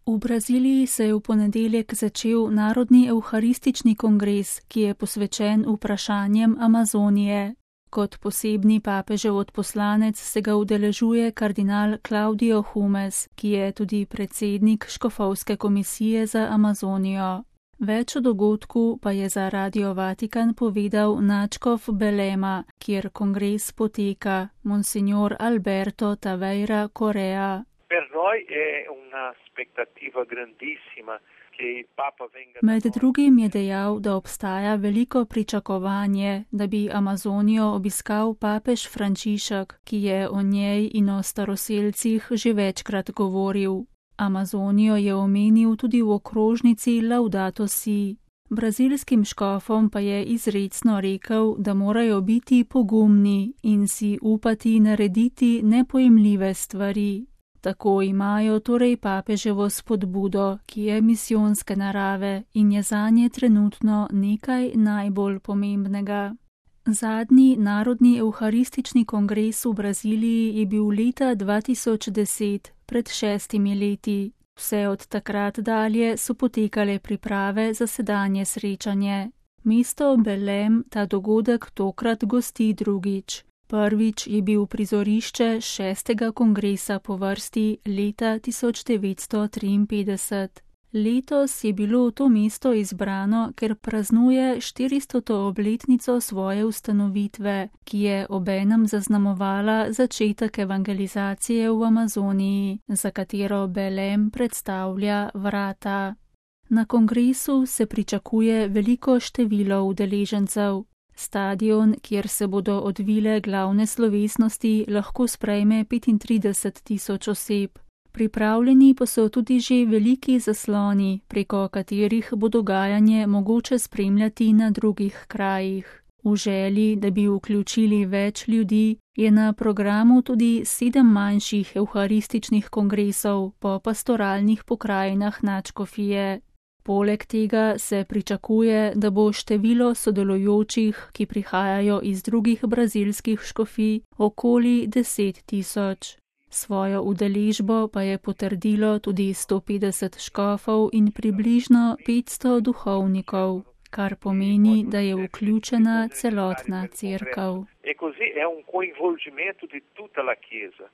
V Braziliji se je v ponedeljek začel Narodni evharistični kongres, ki je posvečen vprašanjem Amazonije. Kot posebni papežev odposlanec se ga udeležuje kardinal Claudio Humes, ki je tudi predsednik Škofovske komisije za Amazonijo. Več o dogodku pa je za Radio Vatikan povedal nadškof Belema, kjer kongres poteka, monsignor Alberto Taveira Correa. Med drugim je dejal, da obstaja veliko pričakovanje, da bi Amazonijo obiskal papež Frančišek, ki je o njej in o staroselcih že večkrat govoril. Amazonijo je omenil tudi v okrožnici Laudato Si. Brazilskim škofom pa je izrecno rekel, da morajo biti pogumni in si upati narediti nepojemljive stvari. Tako imajo torej papeževo spodbudo, ki je misijonske narave in je zanje trenutno nekaj najbolj pomembnega. Zadnji Narodni evharistični kongres v Braziliji je bil leta 2010, pred 6 leti. Vse od takrat dalje so potekale priprave za sedanje srečanje. Mesto Belém ta dogodek tokrat gosti drugič. Prvič je bil prizorišče 6. kongresa po vrsti leta 1953. Letos je bilo to mesto izbrano, ker praznuje 400. obletnico svoje ustanovitve, ki je obenem zaznamovala začetek evangelizacije v Amazoniji, za katero Belém predstavlja vrata. Na kongresu se pričakuje veliko število udeležencev. Stadion, kjer se bodo odvile glavne slovesnosti, lahko sprejme 35.000 oseb. Pripravljeni pa so tudi že veliki zasloni, preko katerih bo dogajanje mogoče spremljati na drugih krajih. V želji, da bi vključili več ljudi, je na programu tudi 7 manjših evharističnih kongresov po pastoralnih pokrajinah nadškofije. Poleg tega se pričakuje, da bo število sodelujočih, ki prihajajo iz drugih brazilskih škofij, okoli 10.000. Svojo udeležbo pa je potrdilo tudi 150 škofov in približno 500 duhovnikov, kar pomeni, da je vključena celotna cerkev.